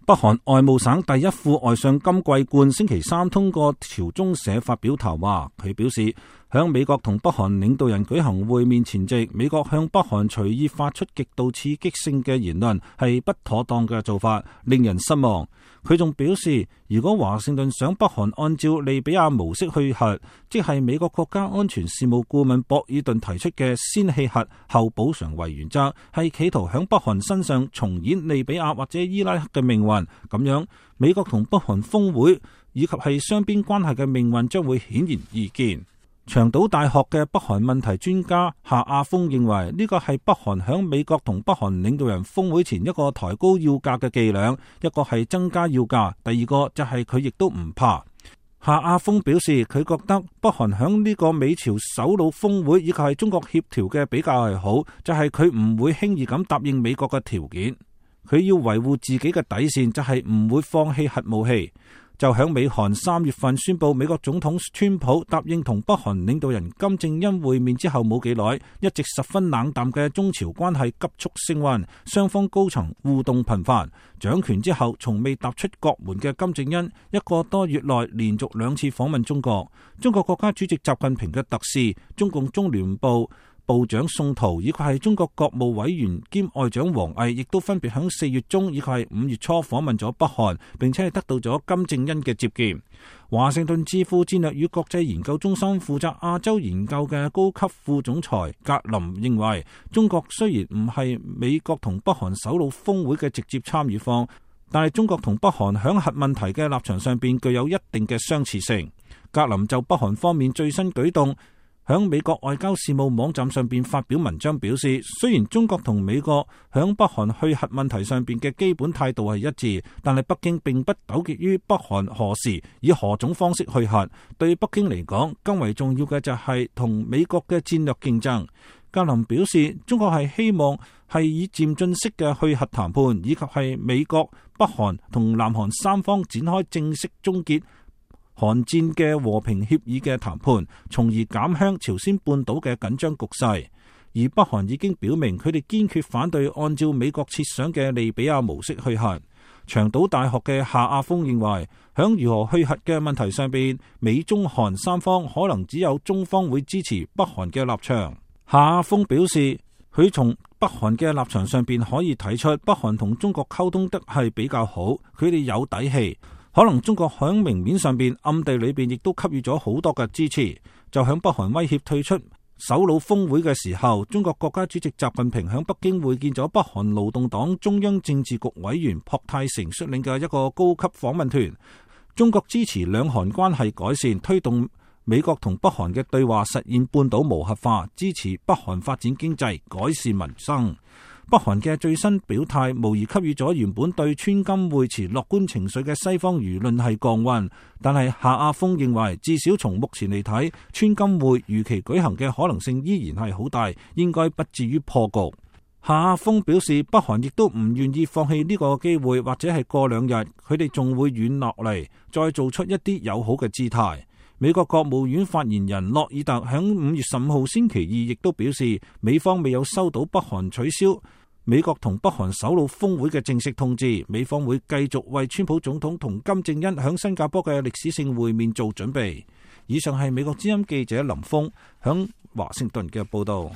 北韓外務省第一副外相金貴冠星期三通過朝中社發表談話，佢表示響美國同北韓領導人舉行會面前夕，美國向北韓隨意發出極度刺激性嘅言論係不妥當嘅做法，令人失望。佢仲表示，如果華盛頓想北韓按照利比亞模式去核，即係美國國家安全事務顧問博爾頓提出嘅先棄核後補償為原則，係企圖響北韓身上重演利比亞或者伊拉克嘅命運。咁樣，美國同北韓峰會以及係雙邊關係嘅命運將會顯然易見。長島大學嘅北韓問題專家夏亞峰認為，呢個係北韓響美國同北韓領導人峰會前一個抬高要價嘅伎倆，一個係增加要價，第二個就係佢亦都唔怕。夏亞峰表示，佢覺得北韓響呢個美朝首腦峰會以及係中國協調嘅比較係好，就係佢唔會輕易咁答應美國嘅條件，佢要維護自己嘅底線，就係唔會放棄核武器。就響美韓3月份宣布美國總統川普答應同北韓領導人金正恩會面之後冇幾耐，一直十分冷淡嘅中朝關係急速升溫，雙方高層互動頻繁。掌權之後從未踏出國門嘅金正恩，一個多月內連續2次訪問中國。中國國家主席習近平嘅特使、中共中聯部部長宋濤以及係中國國務委員兼外長王毅，亦都分別響4月中以及係5月初訪問咗北韓，並且係得到咗金正恩嘅接見。華盛頓智庫戰略與國際研究中心負責亞洲研究嘅高級副總裁格林認為，中國雖然唔係美國同北韓首腦峰會嘅直接參與方，但係中國同北韓響核問題嘅立場上邊具有一定嘅相似性。格林就北韓方面最新舉動響美國外交事務網站上邊發表文章表示，雖然中國同美國響北韓去核問題上邊嘅基本態度係一致，但係北京並不糾結於北韓何時以何種方式去核。對北京嚟講，更為重要嘅就係同美國嘅戰略競爭。格林表示，中國係希望係以漸進式嘅去核談判，以及係美國、北韓同南韓3方展開正式終結韓戰嘅和平協議嘅談判，從而減輕朝鮮半島嘅緊張局勢。而北韓已經表明，佢哋堅決反對按照美國設想嘅利比亞模式去核。長島大學嘅夏亞峰認為，響如何去核嘅問題上邊，美中韓3方可能只有中方會支持北韓嘅立場。夏亞峰表示，佢從北韓嘅立場上邊可以睇出，北韓同中國溝通得係比較好，佢哋有底氣。可能中國響明面上邊、暗地裏邊亦都給予咗好多嘅支持。就響北韓威脅退出首腦峰會嘅時候，中國國家主席習近平響北京會見咗北韓勞動黨中央政治局委員朴泰成率領嘅一個高級訪問團。中國支持兩韓關係改善，推動美國同北韓嘅對話，實現半島無核化，支持北韓發展經濟，改善民生。北韓嘅最新表態無疑給予咗原本對川金會持樂觀情緒嘅西方輿論係降溫，但係夏亞峰認為，至少從目前嚟睇，川金會如期舉行嘅可能性依然係好大，應該不至於破局。夏亞峰表示，北韓亦都唔願意放棄呢個機會，或者係過2日佢哋仲會軟落嚟，再做出一啲友好嘅姿態。美國國務院發言人洛爾特響5月15號星期二亦都表示，美方未有收到北韓取消美國同北韓首腦峰會嘅正式通知，美方會繼續為川普總統同金正恩響新加坡嘅歷史性會面做準備。以上係美國之音記者林峰響華盛頓嘅報道。